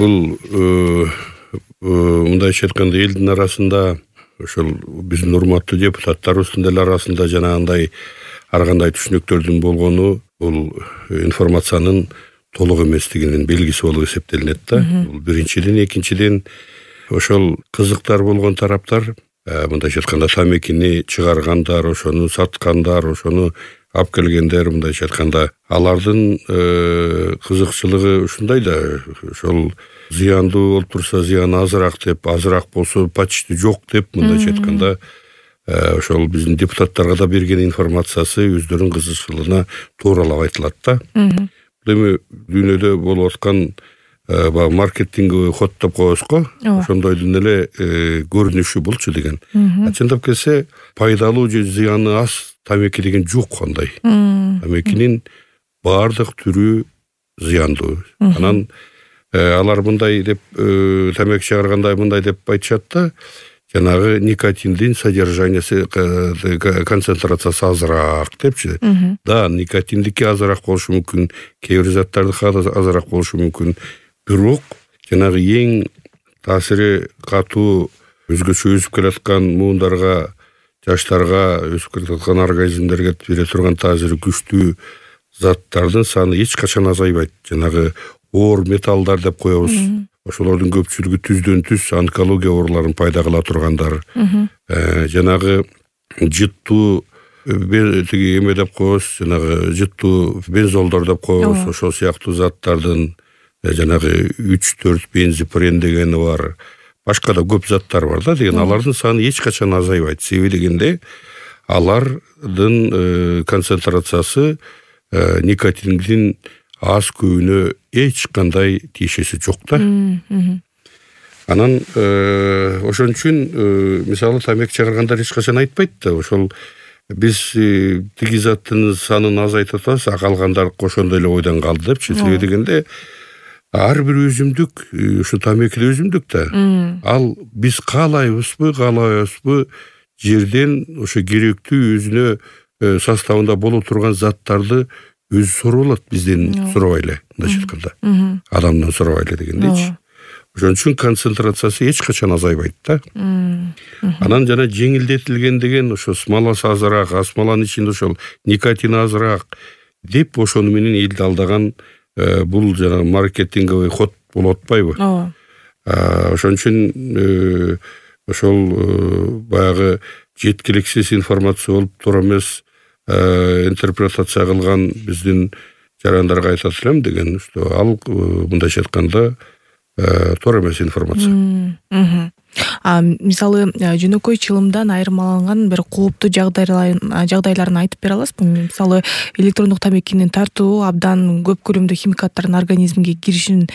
Бул мындайча айтканда элдин арасында ошол биздин урматтуу депутаттарыбыздын деле арасында жанагындай ар кандай түшүнүктөрдүн болгону бул информациянын толук эместигинин белгиси болуп эсептелинет да. Бул биринчиден, экинчиден ошол кызыктар болгон тараптар мындайча айтканда тамекини чыгаргандар, ошону саткандар, ошону алып келгендер, мындайча айтканда алардын кызыкчылыгы ушундай да, ошол зыяндуу болуп турса зыяны азыраак деп, азыраак болсо почти жок деп, мындайча айтканда ошол биздин депутаттарга да берген информациясы өздөрүнүн кызыкчылыгына тууралап айтылат да. Эми дүйнөдө болуп аткан баягы маркетинговый ход деп коебуз го, ошондойдун эле көрүнүшү булчу деген. Чындап келсе, пайдалуу же зыяны аз тамеки деген жок андай. Тамекинин баардык түрү зыяндуу. Анан алар мындай деп тамеки чыгарганда мындай деп айтышат да, жанагы никотиндин содержаниясы, концентрациясы азыраак депчи. Да, никотиндики азыраак болушу мүмкүн, кээ бир заттардыкы азыраак болушу мүмкүн. Бирок жанагы эң таасири катуу өзгөчө өсүп келаткан муундарга, жаштарга, өсүп келаткан организмдерге бере турган таасири күчтүү заттардын саны эч качан азайбайт. Жанагы оор металлдар деп коебуз. Ошолордун көпчүлүгү түздөн түз онкология ооруларын пайда кыла тургандар. Жанагы жыттуу тиги эме деп коебуз, жанагы жыттуу бензолдор деп коебуз, ошол сыяктуу заттардын жанагы 3-4 бензопирен дегени бар. Башка да көп заттар бар да деген. Алардын саны эч качан азайбайт. Себеби дегенде алардын концентрациясы никотиндин аз көбүнө эч кандай тиешеси жок да. Анан ошон үчүн мисалы тамеки чыгаргандар эч качан айтпайт да, ошол биз тиги заттын санын азайтып атабыз, калгандар ошондой эле ойдон калды депчи. Себеби дегенде ар бир өзүмдүк, ушу тамеки да өзүмдүк да. Ал биз каалайбызбы, каалабайбызбы, жерден ошо керектүү өзүнө составында боло турган заттарды өзү соруп алат, бизден сурабай эле, мындайча айтканда. Адамдан сурабай эле дегендейчи. Ошон үчүн концентрациясы эч качан азайбайт да. Анан жана жеңилдетилген деген ошо смоласы азыраак, смоланын ичинде ошол никотин азыраак деп ошону менен элди алдаган бул жана маркетинговый ход болуп атпайбы? Ошон үчүн ошол баягы жеткиликсиз информация болуп тура эмес интерпретация кылган биздин жарандарга айтат элем деген, что ал мындайча айтканда туура эмес информация. Мисалы жөнөкөй чылымдан айырмаланган бир кооптуу жагдайларын айтып бере аласызбы? Мисалы электрондук тамекинин тартуу абдан көп көлөмдө химикаттардын организмге киришин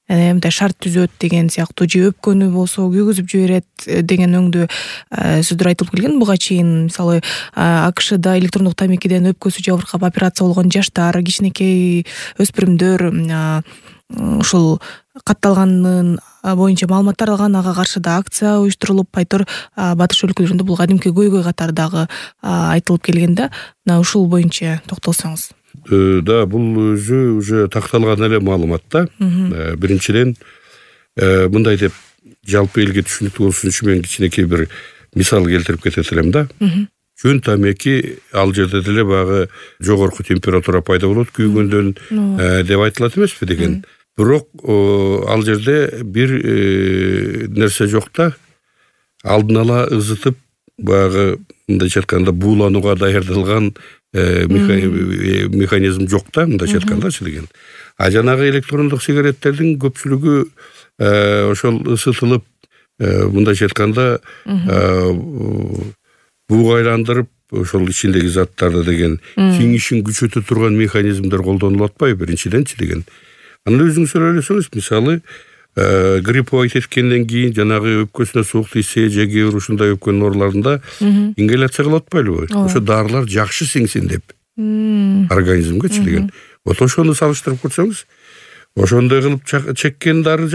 мындай шарт түзөт деген сыяктуу, же өпкөнү болсо күйгүзүп жиберет деген өңдүү сөздөр айтылып келген буга чейин. Мисалы АКШда электрондук тамекиден өпкөсү жабыркап операция болгон жаштар, кичинекей өспүрүмдөр ушул катталганын боюнча маалыматтар алган, ага каршы да акция уюштурулуп, айтор батыш өлкөлөрүндө бул кадимки көйгөй катардагы айтылып келген да. Ушул боюнча токтолсоңуз. Да, бул өзү уже такталган эле маалымат да. Биринчиден мындай деп жалпы элге түшүнүктүү болушун үчүн мен кичинекей бир мисал келтирип кетет элем да. Жөн тамеки ал жерде деле баягы жогорку температура пайда болот күйгөндөн деп айтылат эмеспи деген. Бирок ал жерде бир нерсе жок да. Алдын ала ызытып баягы мындайча айтканда бууланууга даярдалган механизм жок да, мындайча айткандачы деген. А жанагы электрондук сигареттердин көпчүлүгү ошол ысытылып, мындайча айтканда бууга айландырып, ошол ичиндеги заттарды деген сиңишин күчөтө турган механизмдер колдонулуп атпайбы биринчиденчи деген. Анан өзүңүз ойлосоңуз, мисалы гриппоид эткенден кийин жанагы өпкөсүнө суук тийсе, же кээ бир ушундай өпкөнүн ооруларында ингаляция кылып атпайлыбы? Ошо дарылар жакшы сиңсин деп организмгечи деген. Вот ошону салыштырып көрсөңүз, ошондой кылып чеккен дары,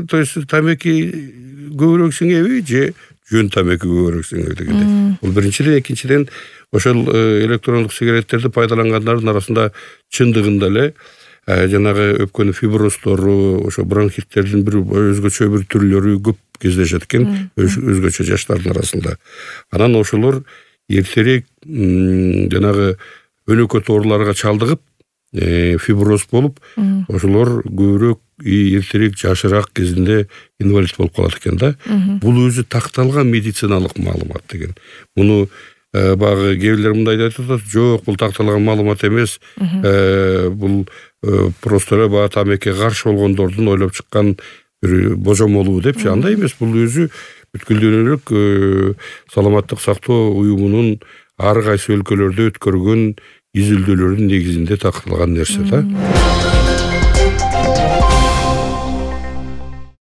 то есть тамеки көбүрөөк сиңеби, же жөн тамеки көбүрөөк сиңеби дегенде. Бул биринчиден, экинчиден ошол электрондук сигареттерди пайдалангандардын арасында чындыгында эле жанагы өпкөнүн фиброзтору, ошо бронхиттердин бир өзгөчө бир түрлөрү көп кездешет экен өзгөчө жаштардын арасында. Анан ошолор эртерээк жанагы өнөкөт ооруларга чалдыгып, фиброз болуп, ошолор көбүрөөк эртерээк жашыраак кезинде инвалид болуп калат экен да. Бул өзү такталган медициналык маалымат деген. Муну багы кээ бирлер мындай айтып атат, жок, бул такталган маалымат эмес, бул просто баягы тамекиге каршы болгондордун ойлоп чыккан бир божомолу депчи. Андай эмес, бул өзү бүткүл дүйнөлүк саламаттык сактоо уюмунун ар кайсы өлкөлөрдө өткөргөн изилдөөлөрдүн негизинде такталган нерсе да.